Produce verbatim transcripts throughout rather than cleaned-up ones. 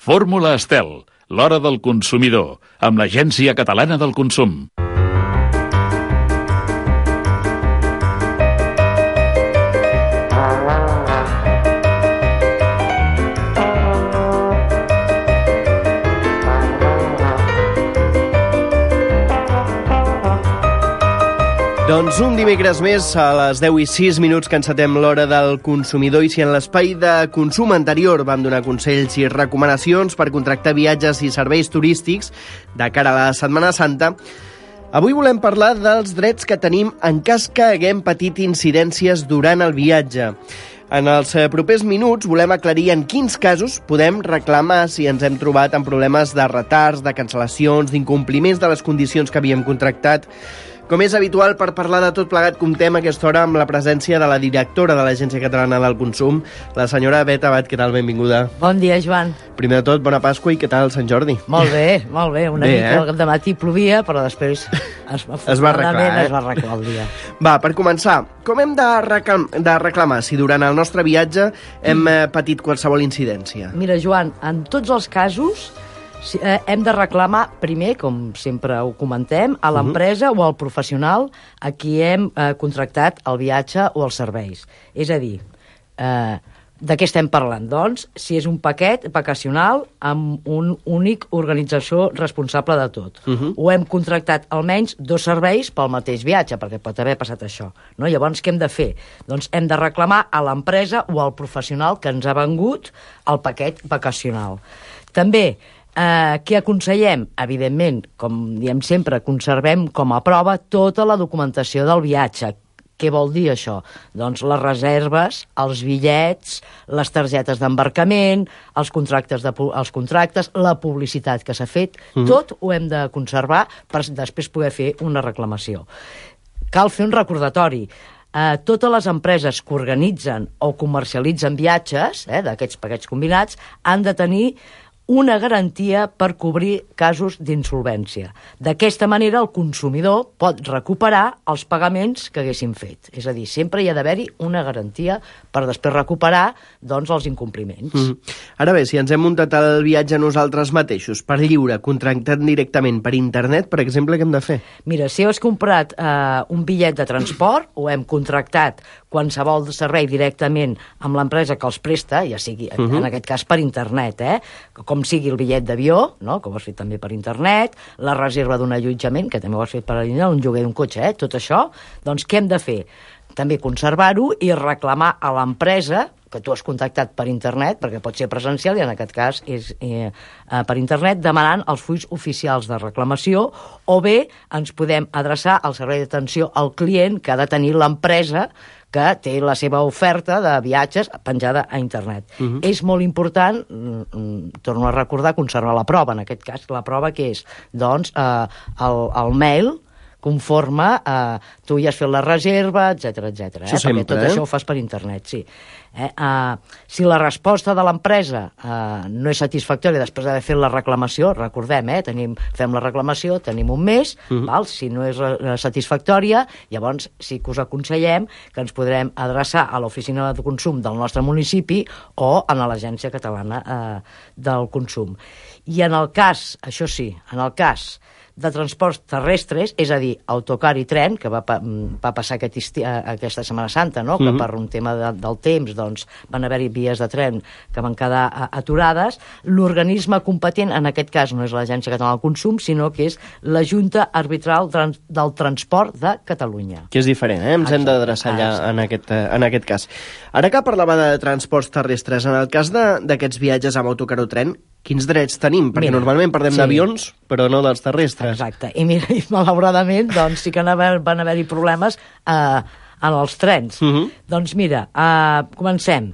Fórmula Estel, l'hora del consumidor, amb l'Agència Catalana del Consum. Doncs un dimecres més, a les deu i sis minuts que encetem l'hora del consumidor, i si en l'espai de consum anterior vam donar consells i recomanacions per contractar viatges i serveis turístics de cara a la Setmana Santa, avui volem parlar dels drets que tenim en cas que haguem patit incidències durant el viatge. En els propers minuts volem aclarir en quins casos podem reclamar si ens hem trobat amb problemes de retards, de cancel·lacions, d'incompliments de les condicions que havíem contractat. Com és habitual, per parlar de tot plegat, comptem a aquesta hora amb la presència de la directora de l'Agència Catalana del Consum, la senyora Bet Abad. Què tal? Benvinguda. Bon dia, Joan. Primer de tot, bona Pasqua i què tal Sant Jordi? Molt bé, molt bé. Una bé, mica eh? de matí plovia, però després es, es va arreglar, eh? es va arreglar el dia. Va, per començar, com hem de, reclam de reclamar si durant el nostre viatge hem mm. patit qualsevol incidència? Mira, Joan, en tots els casos Sí, eh, hem de reclamar primer, com sempre ho comentem, a l'empresa uh -huh. o al professional a qui hem eh, contractat el viatge o els serveis. És a dir, eh, de què estem parlant? Doncs, si és un paquet vacacional amb un únic organització responsable de tot. Uh -huh. O hem contractat almenys dos serveis pel mateix viatge, perquè pot haver passat això. No? Llavors, què hem de fer? Doncs hem de reclamar a l'empresa o al professional que ens ha vengut el paquet vacacional. També, Eh, què aconsellem? Evidentment, com diem sempre, conservem com a prova tota la documentació del viatge. Què vol dir això? Doncs les reserves, els bitllets, les targetes d'embarcament, els contractes, de, els contractes, la publicitat que s'ha fet, mm. tot ho hem de conservar per després poder fer una reclamació. Cal fer un recordatori. Uh, totes les empreses que organitzen o comercialitzen viatges, eh, d'aquests paquets combinats, han de tenir una garantia per cobrir casos d'insolvència. D'aquesta manera, el consumidor pot recuperar els pagaments que haguessin fet. És a dir, sempre hi ha d'haver-hi una garantia per després recuperar doncs, els incompliments. Mm. Ara bé, si ens hem muntat el viatge nosaltres mateixos, per lliure, contractant directament per internet, per exemple, què hem de fer? Mira, si has comprat eh, un bitllet de transport o hem contractat qualsevol servei directament amb l'empresa que els presta, ja sigui, uh-huh. en aquest cas per internet, eh? com sigui el bitllet d'avió, no? que ho has fet també per internet, la reserva d'un allotjament, que també ho has fet per internet, un lloguer d'un cotxe, eh? tot això, doncs què hem de fer? També conservar-ho i reclamar a l'empresa que tu has contactat per internet, perquè pot ser presencial i en aquest cas és eh, per internet, demanant els fulls oficials de reclamació, o bé ens podem adreçar al servei d'atenció al client que ha de tenir l'empresa que té la seva oferta de viatges penjada a internet. Uh-huh. És molt important, mm, torno a recordar, conservar la prova, en aquest cas, la prova que és, doncs, eh, el, el mail conforme eh, tu ja has fet la reserva, etcètera, etcètera. Eh? Sempre, perquè tot eh? això ho fas per internet, sí. Eh? Uh, si la resposta de l'empresa uh, no és satisfactòria després d'haver fet la reclamació, recordem, eh? tenim, fem la reclamació, tenim un mes, uh-huh. val? Si no és uh, satisfactòria, llavors sí que us aconsellem que ens podrem adreçar a l'oficina de consum del nostre municipi o a l'Agència Catalana uh, del Consum. I en el cas, això sí, en el cas de transports terrestres, és a dir, autocar i tren, que va, va passar aquest esti, aquesta Setmana Santa, no? que uh-huh. per un tema de, del temps doncs, van haver-hi vies de tren que van quedar aturades, l'organisme competent, en aquest cas no és l'Agència Catalana del Consum, sinó que és la Junta Arbitral Trans, del Transport de Catalunya. Que és diferent, eh? Ens Exacte. hem d'adreçar allà ah, en, aquest, en aquest cas. Ara que parlava de transports terrestres, en el cas d'aquests viatges amb autocar o tren, quins drets tenim? Perquè mira, normalment parlem sí. d'avions, però no dels terrestres. Exacte. I mira, i malauradament, doncs sí que van haver-hi problemes eh, en els trens. Uh-huh. Doncs mira, eh, comencem.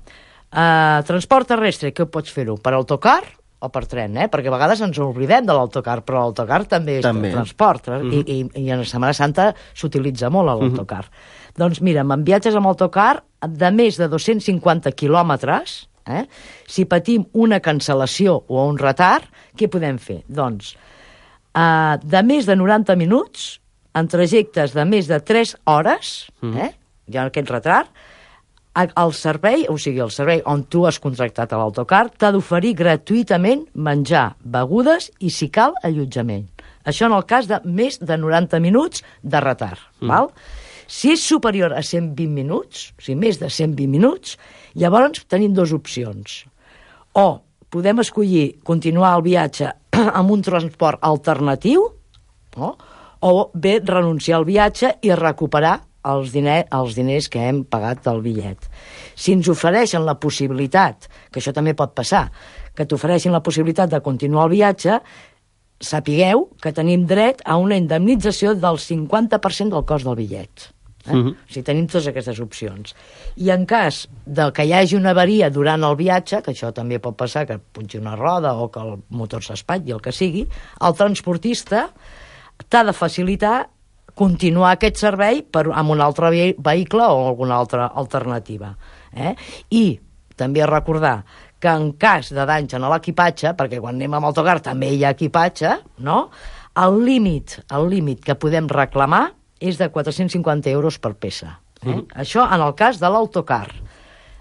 Eh, transport terrestre, què pots fer-ho? Per autocar o per tren, eh? Perquè a vegades ens oblidem de l'autocar, però l'autocar també és també. transport. Eh? Uh-huh. I, i, I en Setmana Santa s'utilitza molt l'autocar. Uh-huh. Doncs mira, amb viatges amb autocar de més de dos-cents cinquanta quilòmetres, Eh? si patim una cancel·lació o un retard, què podem fer? Doncs, eh, de més de noranta minuts, en trajectes de més de tres hores, eh? hi ha aquest retard, El servei, o sigui, el servei on tu has contractat a l'autocar, t'ha d'oferir gratuïtament menjar, begudes i, si cal, allotjament. Això en el cas de més de noranta minuts de retard. Mm. Val? Si és superior a cent vint minuts, o sigui, més de cent vint minuts, llavors tenim dues opcions. O podem escollir continuar el viatge amb un transport alternatiu, no? O bé renunciar al viatge i recuperar els, diner, els diners que hem pagat del bitllet. Si ens ofereixen la possibilitat, que això també pot passar, que t'ofereixin la possibilitat de continuar el viatge, sapigueu que tenim dret a una indemnització del cinquanta per cent del cost del bitllet. Eh? Uh-huh. O sigui, tenim totes aquestes opcions. I en cas de que hi hagi una avaria durant el viatge, que això també pot passar, que punxi una roda o que el motor s'espatlli, el que sigui, el transportista t'ha de facilitar continuar aquest servei per, amb un altre vehicle o alguna altra alternativa. Eh? I també recordar que en cas de danys en l'equipatge, perquè quan anem amb autocar també hi ha equipatge, no? El límit, el límit que podem reclamar és de quatre-cents cinquanta euros per peça. Eh? Mm. Això en el cas de l'autocar.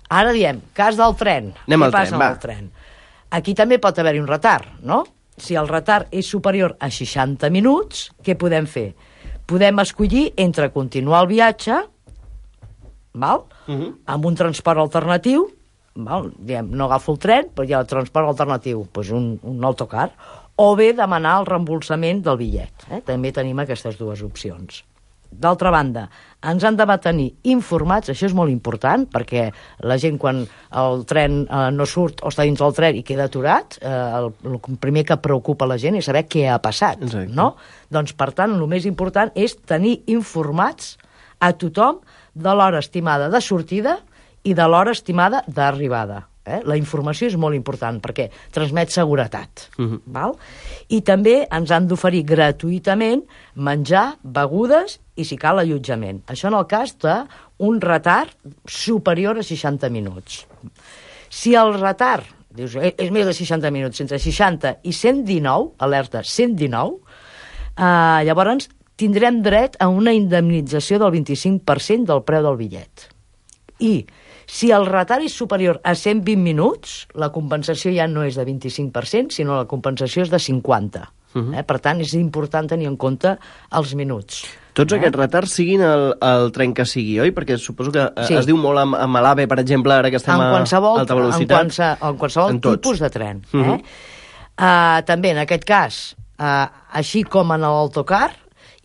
Ara diem, cas del tren. Anem Què al passa tren, amb el tren? Aquí també pot haver-hi un retard, no? Si el retard és superior a seixanta minuts, què podem fer? Podem escollir entre continuar el viatge, val? Uh-huh. Amb un transport alternatiu, val? Diem, no agafo el tren, però hi ha el transport alternatiu, doncs un, un autocar, o bé demanar el reembolsament del bitllet. Eh? També tenim aquestes dues opcions. D'altra banda, ens han de mantenir informats, això és molt important, perquè la gent quan el tren eh, no surt o està dins del tren i queda aturat, eh, el, el primer que preocupa la gent és saber què ha passat. Exacte. No? Doncs, per tant, el més important és tenir informats a tothom de l'hora estimada de sortida i de l'hora estimada d'arribada. Eh? La informació és molt important perquè transmet seguretat. Uh-huh. Val? I també ens han d'oferir gratuïtament menjar, begudes i, si cal, allotjament. Això en el cas d'un retard superior a seixanta minuts. Si el retard, dius, és més de seixanta minuts, entre seixanta i cent dinou, alerta, cent dinou, eh, llavors tindrem dret a una indemnització del vint-i-cinc per cent del preu del bitllet. I si el retard és superior a cent vint minuts, la compensació ja no és de vint-i-cinc per cent, sinó la compensació és de cinquanta per cent. Uh-huh. Eh? Per tant, és important tenir en compte els minuts. Tots eh? aquests retards siguin el, el tren que sigui, oi? Perquè suposo que sí. es diu molt amb, amb l'AVE, per exemple, ara que estem a alta velocitat. En qualsevol, en qualsevol en tipus de tren. Uh-huh. eh? uh, també, en aquest cas, uh, així com en l'autocar,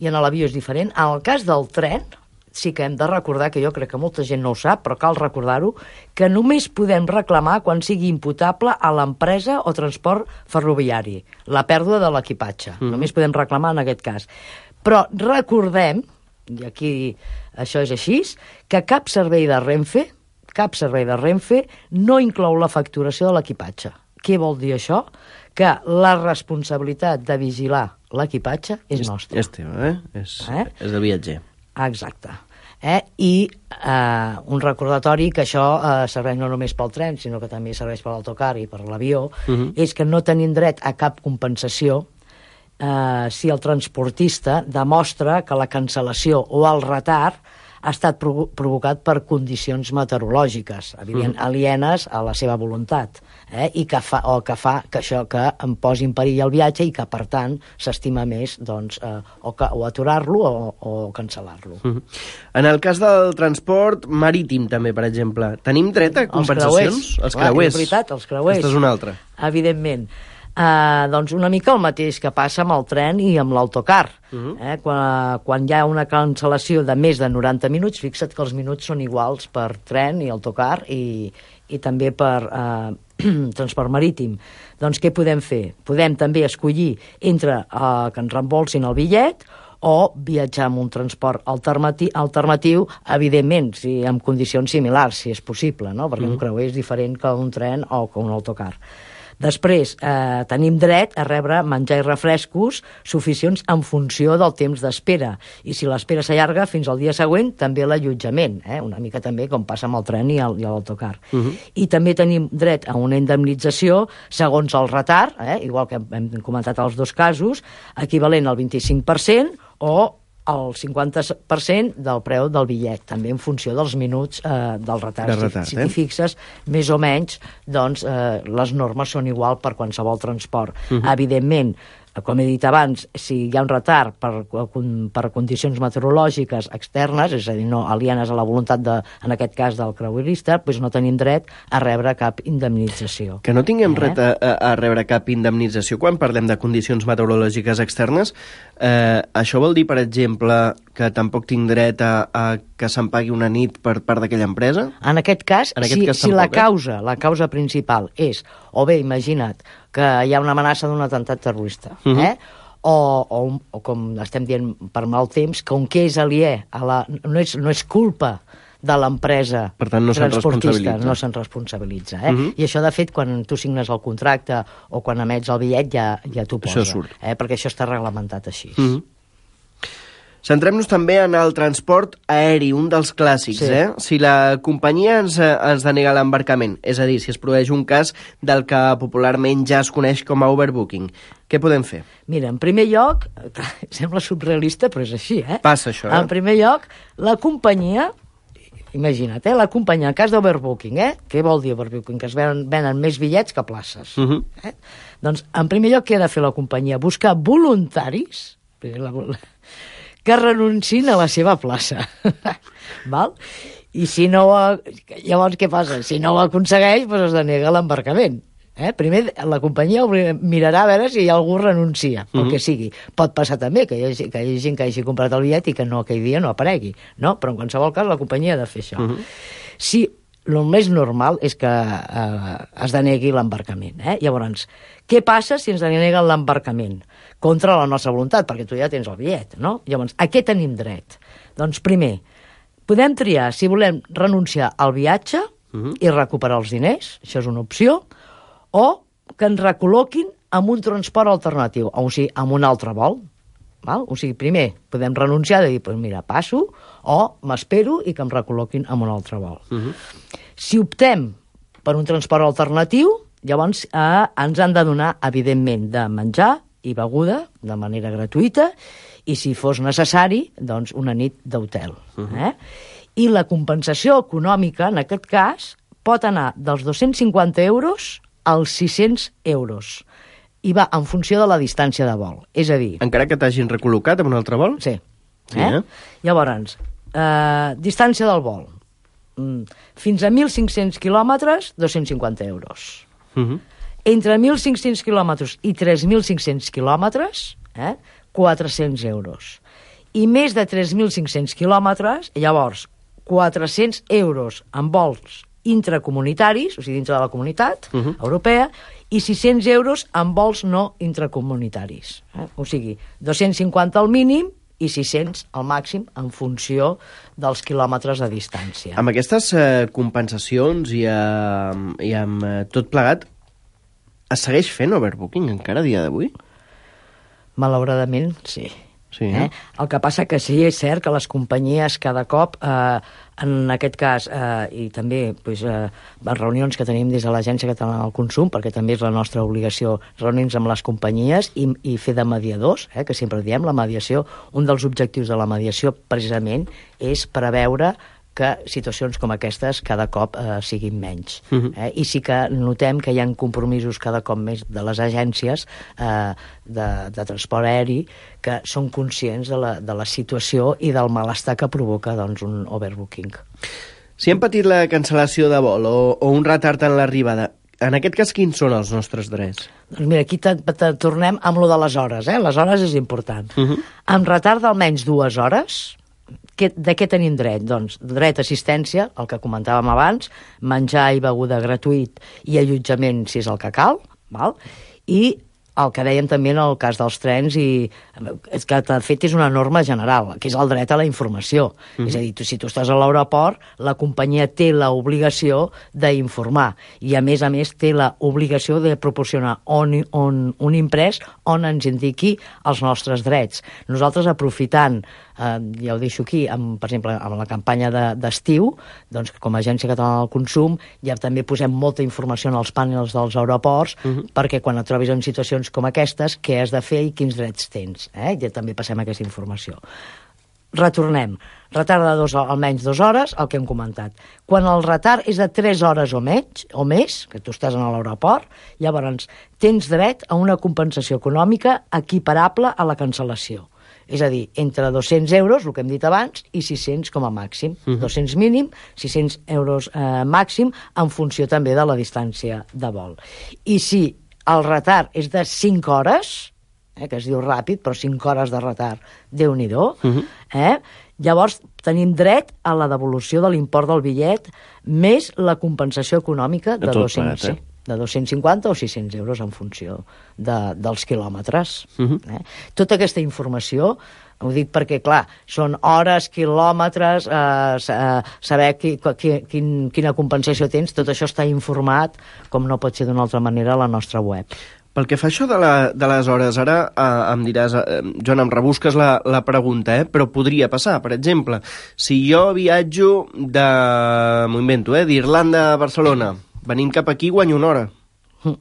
i en l'avió és diferent, en el cas del tren, sí que hem de recordar, que jo crec que molta gent no ho sap, però cal recordar-ho, que només podem reclamar quan sigui imputable a l'empresa o transport ferroviari, la pèrdua de l'equipatge. Mm. Només podem reclamar en aquest cas. Però recordem, i aquí això és així, que cap servei de Renfe, cap servei de Renfe no inclou la facturació de l'equipatge. Què vol dir això? Que la responsabilitat de vigilar l'equipatge és nostra. És teva, eh? És, eh? és del viatger. Exacte. Eh? I eh, un recordatori que això eh, serveix no només pel tren, sinó que també serveix per l'autocar i per l'avió, uh-huh. és que no tenim dret a cap compensació eh, si el transportista demostra que la cancel·lació o el retard ha estat provo- provocat per condicions meteorològiques, evident, uh-huh. alienes a la seva voluntat, eh? I que fa, o que fa que això que em posi en perill el viatge i que, per tant, s'estima més doncs, eh, o, que, o aturar-lo o, o cancel·lar-lo. Uh-huh. En el cas del transport marítim, també, per exemple, tenim dret a compensacions? Els creuers. Els creuers. És veritat, els creuers. Aquesta és una altra. Evidentment. Uh, doncs una mica el mateix que passa amb el tren i amb l'autocar. Uh-huh. eh? quan, quan hi ha una cancel·lació de més de noranta minuts, fixa't que els minuts són iguals per tren i autocar i, i també per uh, transport marítim. Doncs què podem fer? Podem també escollir entre uh, que ens reembolsin el bitllet o viatjar amb un transport alternati- alternatiu, evidentment, si, en condicions similars, si és possible, no? Perquè uh-huh. un creuer és diferent que un tren o que un autocar. Després, eh, tenim dret a rebre menjar i refrescos suficients en funció del temps d'espera. I si l'espera s'allarga fins al dia següent, també l'allotjament, eh? Una mica també com passa amb el tren i el, i l'autocar. Uh-huh. I també tenim dret a una indemnització segons el retard, eh? Igual que hem comentat els dos casos, equivalent al vint-i-cinc per cent o el cinquanta per cent del preu del bitllet, també en funció dels minuts eh, del retard. De retard, si eh? t'hi fixes, més o menys, doncs, eh, les normes són igual per qualsevol transport. Uh-huh. Evidentment, com he dit abans, si hi ha un retard per, per condicions meteorològiques externes, és a dir, no alienes a la voluntat, de, en aquest cas, del creuerista, doncs no tenim dret a rebre cap indemnització. Que no tinguem eh? dret a, a rebre cap indemnització quan parlem de condicions meteorològiques externes, eh, això vol dir, per exemple, que tampoc tinc dret a, a que se'm pagui una nit per part d'aquella empresa? En aquest cas, en aquest si, cas si tampoc, la causa, eh? la causa principal és, o bé, imagina't, que hi ha una amenaça d'un atemptat terrorista, uh -huh. eh? o, o, o com estem dient per mal temps, com que és aliè, a la, no, és, no és culpa de l'empresa no transportista, no se'n responsabilitza. Eh? Uh -huh. I això, de fet, quan tu signes el contracte o quan emets el bitllet ja, ja t'ho posa, eh? perquè això està reglamentat així. Uh -huh. Centrem-nos també en el transport aeri, un dels clàssics. Sí. Eh? Si la companyia ens, ens denega l'embarcament, és a dir, si es produeix un cas del que popularment ja es coneix com a overbooking, què podem fer? Mira, en primer lloc, sembla surrealista, però és així, eh? Passa això, eh? En primer lloc, la companyia, imagina't, eh? la companyia, en cas d'overbooking, eh? Què vol dir overbooking? Que es venen, venen més bitllets que places. Uh -huh. eh? Doncs, en primer lloc, què ha de fer la companyia? Buscar voluntaris, la, que renuncin a la seva plaça. Val? I si no ho... Llavors, què passa? Si no ho aconsegueix, doncs es denega l'embarcament. Eh? Primer, la companyia mirarà a veure si hi ha algú renuncia, pel uh -huh. que sigui. Pot passar també que hi, hagi, que hi hagi gent que hagi comprat el bitllet i que no, aquell dia no aparegui. No? Però en qualsevol cas la companyia ha de fer això. Uh -huh. Si el més normal és que eh, es denegui l'embarcament. Eh? Llavors, què passa si ens deneguen l'embarcament? Contra la nostra voluntat, perquè tu ja tens el bitllet, no? Llavors, a què tenim dret? Doncs primer, podem triar si volem renunciar al viatge uh -huh. i recuperar els diners, això és una opció, o que ens recol·loquin amb un transport alternatiu, o sigui, amb un altre vol. Val? O sigui, primer podem renunciar de dir, pues mira, passo, o m'espero i que em recol·loquin amb un altre vol. Uh -huh. Si optem per un transport alternatiu, llavors eh, ens han de donar, evidentment, de menjar i beguda de manera gratuïta, i si fos necessari, doncs una nit d'hotel. Uh -huh. eh? I la compensació econòmica, en aquest cas, pot anar dels dos-cents cinquanta euros als sis-cents euros. I va en funció de la distància de vol. És a dir... Encara que t'hagin recol·locat amb un altre vol? Sí. sí eh? eh? Llavors, eh, distància del vol. Mm, fins a mil cinc-cents quilòmetres, dos-cents cinquanta euros. Uh -huh. Entre mil cinc-cents quilòmetres i tres mil cinc-cents quilòmetres, eh, quatre-cents euros. I més de tres mil cinc-cents quilòmetres, llavors, quatre-cents euros en vols intracomunitaris, o sigui, dintre de la comunitat uh -huh. europea, i sis-cents euros en vols no intracomunitaris. Eh? O sigui, dos-cents cinquanta al mínim i sis-cents al màxim en funció dels quilòmetres de distància. Amb aquestes eh, compensacions i, eh, i amb eh, tot plegat, es segueix fent overbooking encara a dia d'avui? Malauradament, sí. Sí, eh? Eh? El que passa que sí, és cert que les companyies cada cop, eh, en aquest cas, eh, i també pues, eh, les reunions que tenim des de l'Agència Catalana del Consum, perquè també és la nostra obligació reunir-nos amb les companyies i, i fer de mediadors, eh, que sempre diem, la mediació, un dels objectius de la mediació precisament és preveure que situacions com aquestes cada cop eh, siguin menys. Uh-huh. eh? I sí que notem que hi ha compromisos cada cop més de les agències eh, de, de transport aeri que són conscients de la, de la situació i del malestar que provoca doncs, un overbooking. Si hem patit la cancel·lació de vol o, o un retard en l'arribada, en aquest cas, quins són els nostres drets? Doncs mira, aquí te, te tornem amb lo de les hores, eh? Les hores és important. Uh-huh. Amb retard d'almenys dues hores, que, de què tenim dret? Doncs dret a assistència, el que comentàvem abans, menjar i beguda gratuït i allotjament, si és el que cal, val? I el que dèiem també en el cas dels trens, i és que de fet és una norma general, que és el dret a la informació. Mm-hmm. És a dir, tu, si tu estàs a l'aeroport, la companyia té l'obligació d'informar, i a més a més té l'obligació de proporcionar on, on, un imprès on ens indiqui els nostres drets. Nosaltres, aprofitant, eh, ja ho deixo aquí, amb, per exemple, amb la campanya de, d'estiu, doncs com a Agència Catalana del Consum ja també posem molta informació en els pànels dels aeroports, mm-hmm. perquè quan et trobis en situacions com aquestes, què has de fer i quins drets tens. Eh? Ja també passem aquesta informació. retornem. Retard de dos, almenys dues hores, el que hem comentat. Quan el retard és de tres hores o menys, o més, que tu estàs a l'aeroport, llavors tens dret a una compensació econòmica equiparable a la cancel·lació. És a dir, entre dos-cents euros, el que hem dit abans, i sis-cents com a màxim. Uh-huh. dos-cents mínim, sis-cents euros eh, màxim, en funció també de la distància de vol. I si el retard és de cinc hores, eh, que es diu ràpid, però cinc hores de retard, Déu-n'hi-do, uh-huh. eh? Llavors tenim dret a la devolució de l'import del bitllet més la compensació econòmica de, de dos-cents, parat, eh? de dos-cents cinquanta o sis-cents euros en funció de, dels quilòmetres. Uh-huh. eh? Tota aquesta informació, ho dic perquè, clar, són hores, quilòmetres, eh, eh, saber qui, qui, quin, quina compensació tens, tot això està informat, com no pot ser d'una altra manera, a la nostra web. Pel que fa això de, la, de les hores, ara eh, em diràs, eh, Joan, em rebusques la, la pregunta, eh? Però podria passar, per exemple, si jo viatjo de, m'ho invento, eh, d'Irlanda a Barcelona, venint cap aquí guanyo una hora. Mm.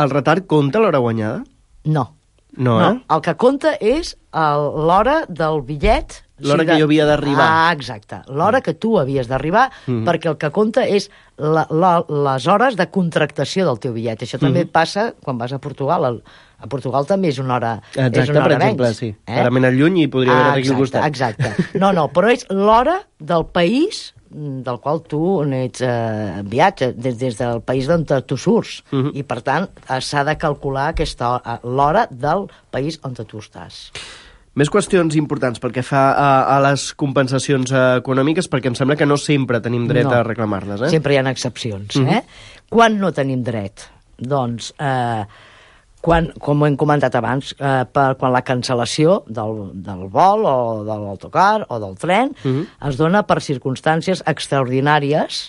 El retard compta l'hora guanyada? No. No, no. eh? El que compta és el, l'hora del bitllet. L'hora o sigui, que jo havia d'arribar. Ah, exacte. L'hora mm. que tu havies d'arribar, mm. perquè el que compta és la, la, les hores de contractació del teu bitllet. Això també mm. passa quan vas a Portugal. El, a Portugal també és una hora, exacte, és una hora per exemple, menys. Sí. Eh? Ara m'he anat lluny i podria haver ah, aquí al costat. Exacte. No, no, però és l'hora del país del qual tu ets eh, viatge, des, des del país d'on tu surts. Uh-huh. I, per tant, s'ha de calcular aquesta hora, l'hora del país on tu estàs. Més qüestions importants pel que fa a, a les compensacions econòmiques, perquè em sembla que no sempre tenim dret no. a reclamar-les. Eh? Sempre hi ha excepcions. Uh-huh. eh? Quan no tenim dret? Doncs... Eh, Quan, com hem comentat abans, eh, per, quan la cancel·lació del, del vol o de l'autocar o del tren uh-huh. es dona per circumstàncies extraordinàries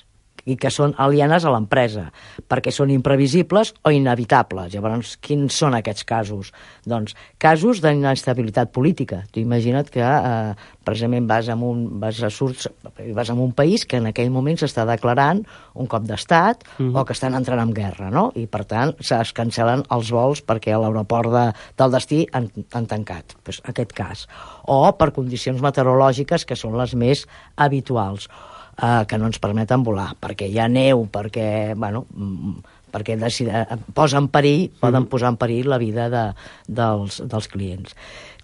i que són alienes a l'empresa, perquè són imprevisibles o inevitables. Llavors, quins són aquests casos? Doncs casos d'inestabilitat política. Tu imagina't que eh, precisament vas en un, vas a surts, vas en un país que en aquell moment s'està declarant un cop d'estat mm. o que estan entrant en guerra, no? I, per tant, es cancel·len els vols perquè a l'aeroport de, del destí han, han tancat. Pues, aquest cas. O per condicions meteorològiques que són les més habituals. Uh, que no ens permeten volar, perquè hi ha neu, perquè, bueno, perquè decide, posa en perill, mm-hmm. poden posar en perill la vida de, dels, dels clients.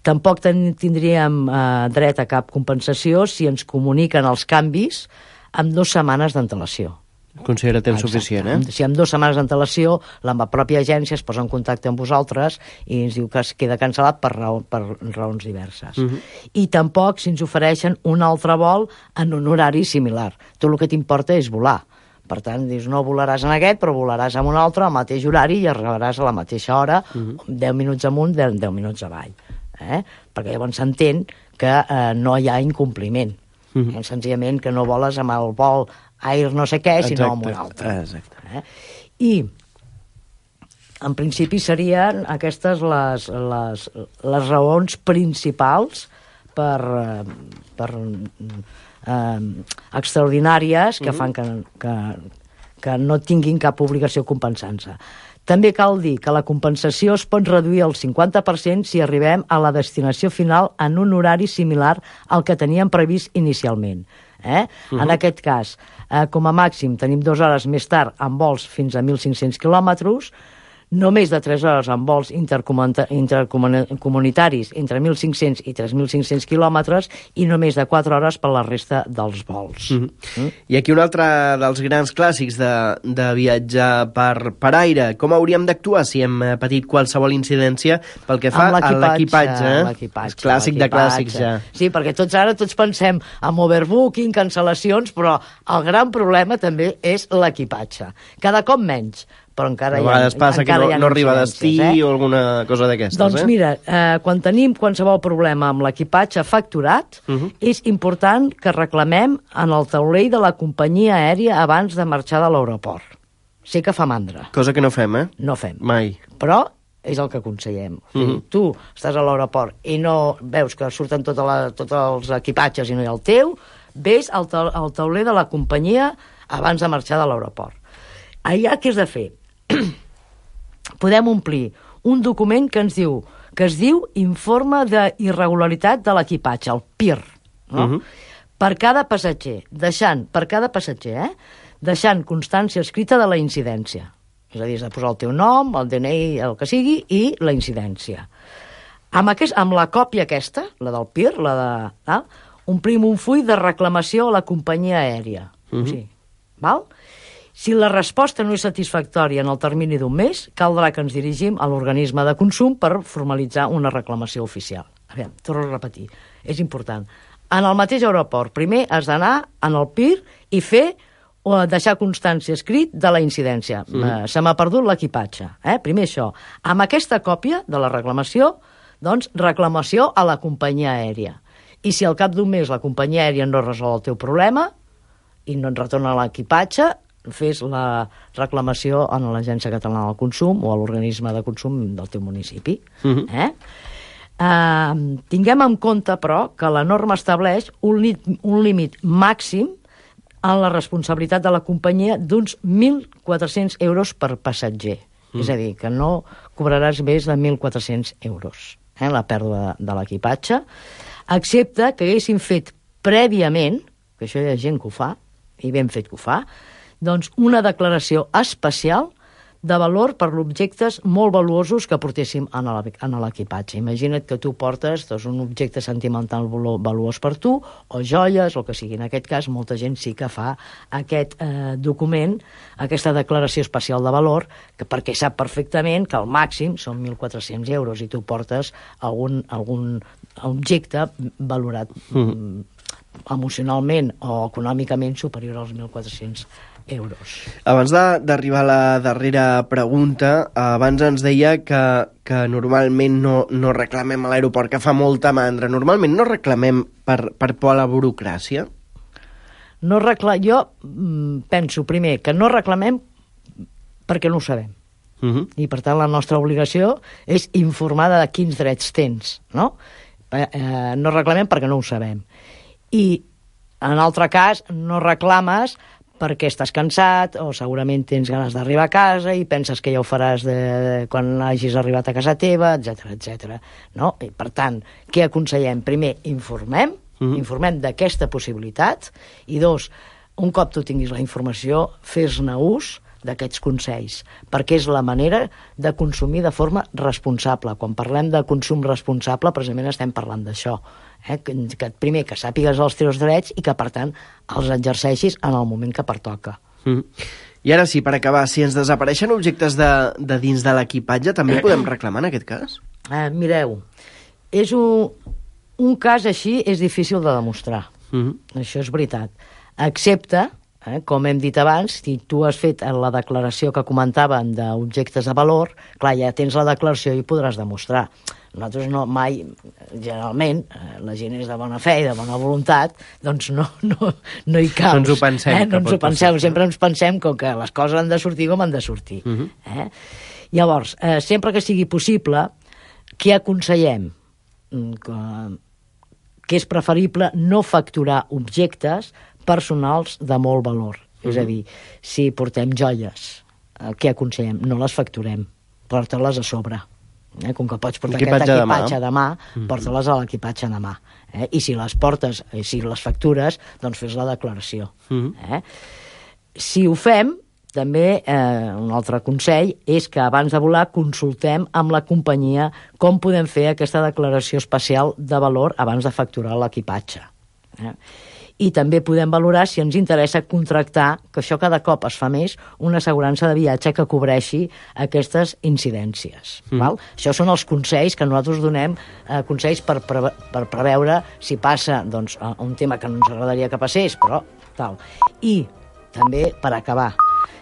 Tampoc ten, tindríem uh, dret a cap compensació si ens comuniquen els canvis amb dues setmanes d'antelació. Considera temps Exacte. Suficient, eh? Si amb dues setmanes d'antelació, la pròpia agència es posa en contacte amb vosaltres i ens diu que es queda cancel·lat per, raó, per raons diverses. Uh-huh. I tampoc si ens ofereixen un altre vol en un horari similar. Tu el que t'importa és volar. Per tant, dius, no volaràs en aquest, però volaràs en un altre, al mateix horari, i arribaràs a la mateixa hora, uh-huh. deu minuts amunt, deu, deu minuts avall. Eh? Perquè llavors s'entén que eh, no hi ha incompliment. Uh-huh. Eh? Senzillament que no voles amb el vol air no sé què, sinó amb un altre. Exacte. Eh? I, en principi, serien aquestes les, les, les raons principals per, per eh, extraordinàries que mm-hmm. fan que, que, que no tinguin cap obligació compensant-se. També cal dir que la compensació es pot reduir al cinquanta per cent si arribem a la destinació final en un horari similar al que teníem previst inicialment. Eh? Uh-huh. En aquest cas, eh, com a màxim, tenim dues hores més tard amb vols fins a mil cinc-cents quilòmetres, no més de tres hores amb vols intercomunitaris entre mil cinc-cents i tres mil cinc-cents quilòmetres i no més de quatre hores per la resta dels vols. Uh-huh. Mm? I aquí un altre dels grans clàssics de, de viatjar per, per aire. Com hauríem d'actuar si hem patit qualsevol incidència pel que fa a l'equipatge? Eh? És clàssic de clàssics, ja. Sí, perquè tots ara tots pensem en overbooking, cancel·lacions, però el gran problema també és l'equipatge. Cada cop menys. Però encara a vegades hi ha, passa que no, no arriba a destí eh? o alguna cosa d'aquestes. Doncs eh? mira, eh, quan tenim qualsevol problema amb l'equipatge facturat, uh-huh. és important que reclamem en el taulell de la companyia aèria abans de marxar de l'aeroport. Sé que fa mandra. Cosa que no fem, eh? No fem. Mai. Però és el que aconsellem. O sigui, uh-huh. Tu estàs a l'aeroport i no veus que surten tota la, tots els equipatges i no hi ha el teu, ves al, ta al tauler de la companyia abans de marxar de l'aeroport. Allà què has de fer? Podem omplir un document que ens diu que es diu Informe d'Irregularitat de l'Equipatge, el P I R, no? Uh -huh. Per cada passatger, deixant, per cada passatger, eh? deixant constància escrita de la incidència. És a dir, has de posar el teu nom, el D N I, el que sigui, i la incidència. Amb, aquest, amb la còpia aquesta, la del P I R, la de, val? Omplim un full de reclamació a la companyia aèria. Uh -huh. Sí. Val? Si la resposta no és satisfactòria en el termini d'un mes, caldrà que ens dirigim a l'organisme de consum per formalitzar una reclamació oficial. A veure, torno a repetir, és important. En el mateix aeroport, primer has d'anar en el P I R i fer o deixar constància escrit de la incidència. Mm. Se m'ha perdut l'equipatge. Eh? Primer això. Amb aquesta còpia de la reclamació, doncs, reclamació a la companyia aèria. I si al cap d'un mes la companyia aèria no resol el teu problema i no et retorna l'equipatge, fes la reclamació a l'Agència Catalana del Consum o a l'organisme de consum del teu municipi. Mm-hmm. Eh? Uh, tinguem en compte, però, que la norma estableix un, li un límit màxim en la responsabilitat de la companyia d'uns mil quatre-cents euros per passatger. Mm. És a dir, que no cobraràs més de mil quatre-cents euros, eh, la pèrdua de, de l'equipatge, excepte que haguessin fet prèviament, que això hi ha gent que ho fa, i ben fet que ho fa, doncs una declaració especial de valor per objectes molt valuosos que portéssim en l'equipatge. Imagina't que tu portes doncs, un objecte sentimental valuós per tu, o joies, o el que sigui. En aquest cas, molta gent sí que fa aquest eh, document, aquesta declaració especial de valor, que perquè sap perfectament que el màxim són mil quatre-cents euros i tu portes algun, algun objecte valorat mm. emocionalment o econòmicament superior als mil quatre-cents euros. Abans d'arribar a la darrera pregunta, abans ens deia que, que normalment no, no reclamem a l'aeroport, que fa molta mandra. Normalment no reclamem per, per por a la burocràcia? No recla... Jo penso, primer, que no reclamem perquè no ho sabem. Uh-huh. I, per tant, la nostra obligació és informar de quins drets tens, no? Eh, eh, no reclamem perquè no ho sabem. I, en altre cas, no reclames perquè estàs cansat o segurament tens ganes d'arribar a casa i penses que ja ho faràs de, de, quan hagis arribat a casa teva, etcètera, etcètera. No? I, per tant, què aconsellem? Primer, informem, mm-hmm. informem d'aquesta possibilitat, i dos, un cop tu tinguis la informació, fes-ne ús d'aquests consells, perquè és la manera de consumir de forma responsable. Quan parlem de consum responsable, precisament estem parlant d'això. Eh? Que, que primer, que sàpigues els teus drets i que, per tant, els exerceixis en el moment que pertoca. Mm. I ara sí, per acabar, si ens desapareixen objectes de, de dins de l'equipatge, també podem reclamar en aquest cas? Eh, mireu, és un, un cas així és difícil de demostrar. Mm. Això és veritat. Excepte, eh, com hem dit abans, si tu has fet la declaració que comentàvem d'objectes de valor, clar, ja tens la declaració i podràs demostrar. Nosaltres no, mai, generalment, la gent és de bona fe i de bona voluntat, doncs no, no, no hi caus. No ens ho pensem. Eh? No ens ho penseu, sempre ens pensem com que les coses han de sortir com han de sortir. Uh-huh. eh? Llavors, eh, sempre que sigui possible, què aconsellem? Que, que és preferible no facturar objectes personals de molt valor. Uh-huh. És a dir, si portem joies, eh, què aconsellem? No les facturem, porta-les a sobre. Eh, com que pots portar aquest equipatge de mà, mm-hmm. porta-les a l'equipatge de mà. Eh? I si les portes, eh, si les factures, doncs fes la declaració. Mm-hmm. eh? Si ho fem, també eh, un altre consell és que abans de volar consultem amb la companyia com podem fer aquesta declaració especial de valor abans de facturar l'equipatge. Eh? I també podem valorar si ens interessa contractar, que això cada cop es fa més, una assegurança de viatge que cobreixi aquestes incidències. Mm. Val? Això són els consells que nosaltres donem, eh, consells per, pre per preveure si passa doncs, un tema que no ens agradaria que passés, però tal. I també, per acabar,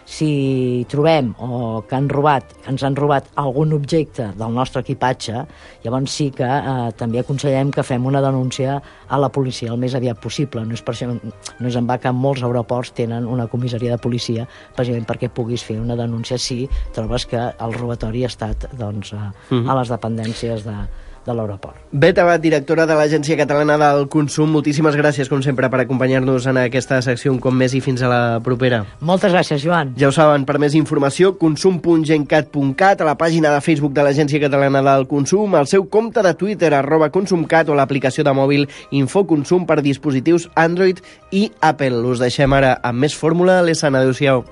si trobem o que han robat, que ens han robat algun objecte del nostre equipatge, llavors sí que eh, també aconsellem que fem una denúncia a la policia el més aviat possible. No és per això, no és en va que molts aeroports tenen una comissaria de policia, precisament perquè puguis fer una denúncia si trobes que el robatori ha estat doncs, a, uh-huh. a les dependències de, de l'aeroport. Bet Abad, directora de l'Agència Catalana del Consum, moltíssimes gràcies, com sempre, per acompanyar-nos en aquesta secció un cop més i fins a la propera. Moltes gràcies, Joan. Ja ho saben, per més informació, consum punt gencat punt cat, a la pàgina de Facebook de l'Agència Catalana del Consum, al seu compte de Twitter, arroba consumcat, o l'aplicació de mòbil Infoconsum per dispositius Android i Apple. Us deixem ara amb més fórmula. Alessandra, adéu-siau.